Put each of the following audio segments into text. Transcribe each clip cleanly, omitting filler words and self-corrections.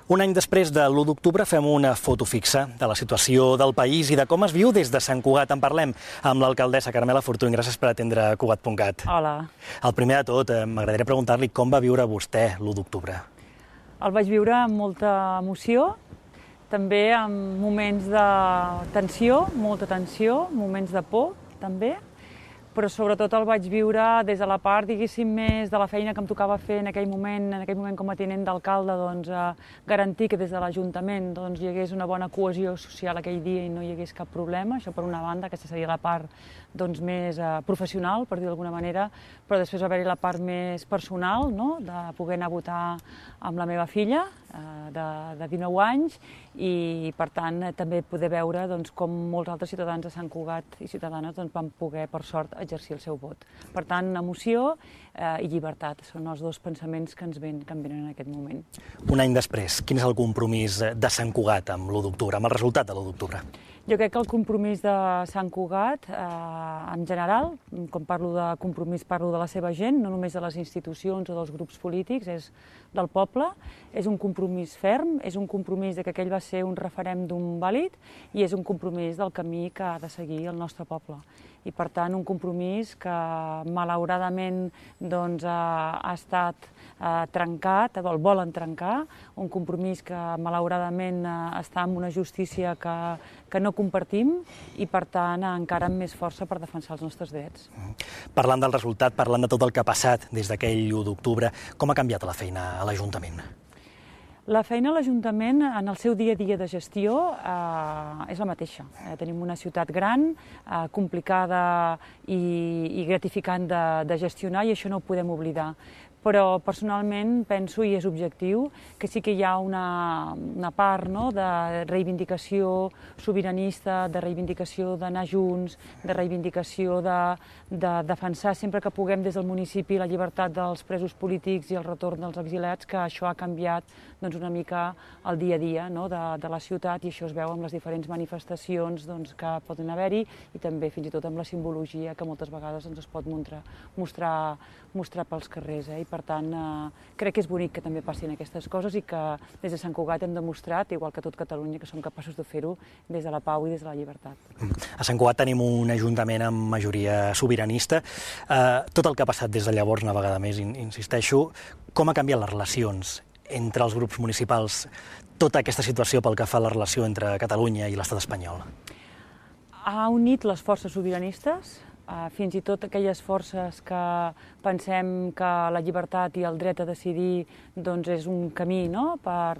Un any després de l'1 d'octubre fem una foto fixa de la situació del país i de com es viu des de Sant Cugat. En parlem amb l'alcaldessa Carmela Fortuny. Gràcies per atendre Cugat.cat. Hola. El primer de tot, m'agradaria preguntar-li com va viure vostè l'1 d'octubre. El vaig viure amb molta emoció, també amb moments de tensió, molta tensió, moments de por, també, però sobretot el vaig viure des de la part, diguéssim, més de la feina que em tocava fer en aquell moment com a tinent d'alcalde, doncs, garantir que des de l'Ajuntament doncs, hi hagués una bona cohesió social aquell dia i no hi hagués cap problema. Això per una banda, aquesta seria la part doncs, més professional, per dir d'alguna manera, però després va haver-hi la part més personal, no? De poder anar a votar amb la meva filla, de 19 anys, i per tant també poder veure doncs, com molts altres ciutadans de Sant Cugat i ciutadanes doncs, van poder, per sort, exercir el seu vot. Per tant, emoció i llibertat són els dos pensaments que em venen en aquest moment. Un any després, quin és el compromís de Sant Cugat amb l'1 d'octubre, amb el resultat de l'1 d'octubre? Jo crec que el compromís de Sant Cugat, en general, quan parlo de compromís parlo de la seva gent, no només de les institucions o dels grups polítics, és del poble, és un compromís ferm, és un compromís que aquell va ser un referèndum vàlid i és un compromís del camí que ha de seguir el nostre poble. I per tant un compromís que malauradament doncs, ha estat trencat, el volen trencar, un compromís que malauradament està en una justícia que no compartim i per tant encara amb més força per defensar els nostres drets. Parlant del resultat, parlant de tot el que ha passat des d'aquell 1 d'octubre, com ha canviat la feina a l'Ajuntament? La feina a l'Ajuntament, en el seu dia a dia de gestió, és la mateixa. Tenim una ciutat gran, complicada i gratificant de gestionar, i això no ho podem oblidar. Però personalment penso, i és objectiu, que sí que hi ha una part de reivindicació sobiranista, de reivindicació d'anar junts, de reivindicació de defensar sempre que puguem des del municipi la llibertat dels presos polítics i el retorn dels exiliats, que això ha canviat una mica el dia a dia de la ciutat, i això es veu amb les diferents manifestacions que poden haver-hi i també fins i tot amb la simbologia que moltes vegades es pot mostrar pels carrers. I per tant, crec que és bonic que també passin aquestes coses i que des de Sant Cugat hem demostrat, igual que tot Catalunya, que som capaços de fer-ho des de la pau i des de la llibertat. A Sant Cugat tenim un ajuntament amb majoria sobiranista. Tot el que ha passat des de llavors, una vegada més, insisteixo, com ha canviat les relacions entre els grups municipals, tota aquesta situació pel que fa a la relació entre Catalunya i l'estat espanyol? Ha unit les forces sobiranistes, fins i tot aquelles forces que pensem que la llibertat i el dret a decidir és un camí per,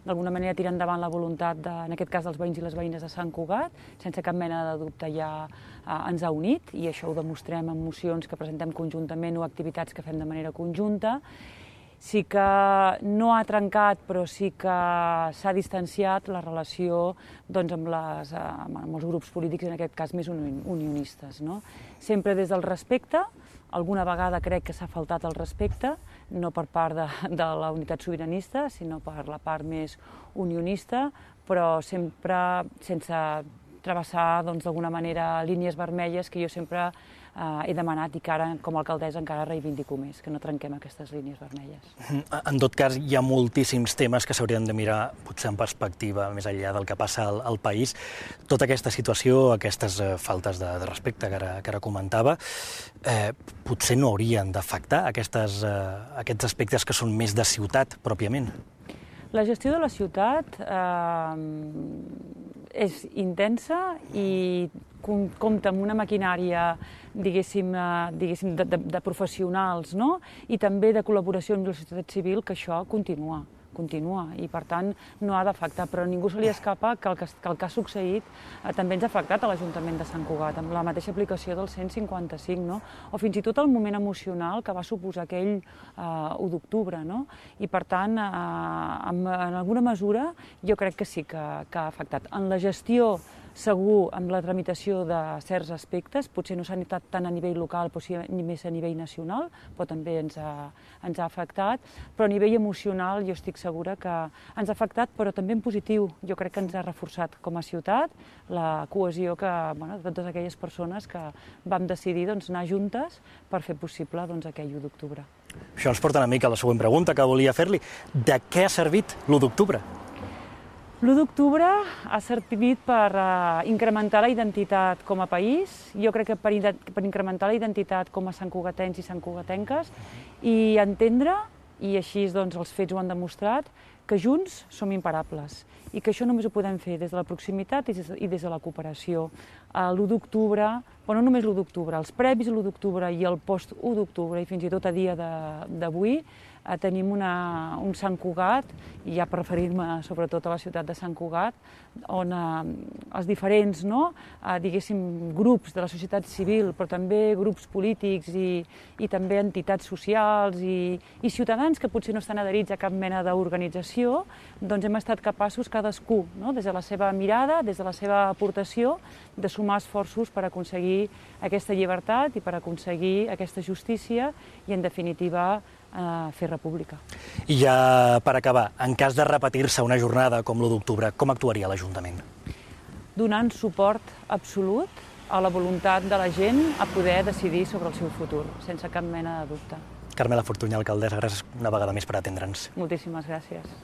d'alguna manera, tirar endavant la voluntat, en aquest cas, dels veïns i les veïnes de Sant Cugat. Sense cap mena de dubte ja ens ha unit, i això ho demostrem en mocions que presentem conjuntament o activitats que fem de manera conjunta. Sí que no ha trencat, però sí que s'ha distanciat la relació amb els grups polítics, en aquest cas més unionistes. Sempre des del respecte, alguna vegada crec que s'ha faltat el respecte, no per part de la unitat sobiranista, sinó per la part més unionista, però sempre sense travessar d'alguna manera línies vermelles que jo sempre he demanat i que ara, com a alcaldessa, encara reivindico més, que no trenquem aquestes línies vermelles. En tot cas, hi ha moltíssims temes que s'haurien de mirar, potser en perspectiva, més enllà del que passa al país. Tota aquesta situació, aquestes faltes de respecte que ara comentava, potser no haurien d'afectar aquests aspectes que són més de ciutat, pròpiament. La gestió de la ciutat és intensa i compta amb una maquinària, diguéssim, de professionals, i també de col·laboració amb la societat civil, que això continua, i per tant no ha d'afectar, però a ningú se li escapa que el que ha succeït també ens ha afectat a l'Ajuntament de Sant Cugat, amb la mateixa aplicació del 155, o fins i tot el moment emocional que va suposar aquell 1 d'octubre. I per tant, en alguna mesura, jo crec que sí que ha afectat. En la gestió, segur, amb la tramitació de certs aspectes, potser no s'ha notat tant a nivell local, però sí més a nivell nacional, però també ens ha afectat, però a nivell emocional jo estic segura que ens ha afectat, però també en positiu. Jo crec que ens ha reforçat com a ciutat la cohesió de totes aquelles persones que vam decidir anar juntes per fer possible aquell 1 d'octubre. Això ens porta una mica a la següent pregunta que volia fer-li. De què ha servit l'1 d'octubre? L'1 d'octubre ha servit per incrementar la identitat com a país, jo crec que per incrementar la identitat com a santcugatencs i santcugatenques i entendre, i així doncs, els fets ho han demostrat, que junts som imparables i que això només ho podem fer des de la proximitat i des de la cooperació. L'1 d'octubre, però no només l'1 d'octubre, els previs a l'1 d'octubre i el post-1 d'octubre i fins i tot a dia d'avui, tenim un Sant Cugat, i ja per referir-me sobretot a la ciutat de Sant Cugat, on els diferents, diguéssim, grups de la societat civil, però també grups polítics i també entitats socials i ciutadans que potser no estan adherits a cap mena d'organització, doncs hem estat capaços cadascú, des de la seva mirada, des de la seva aportació, de sumar esforços per aconseguir aquesta llibertat i per aconseguir aquesta justícia i, en definitiva, fer república. I ja per acabar, en cas de repetir-se una jornada com l'1 d'octubre, com actuaria l'Ajuntament? Donant suport absolut a la voluntat de la gent a poder decidir sobre el seu futur, sense cap mena de dubte. Carmela Fortuny, alcaldessa, gràcies una vegada més per atendre'ns. Moltíssimes gràcies.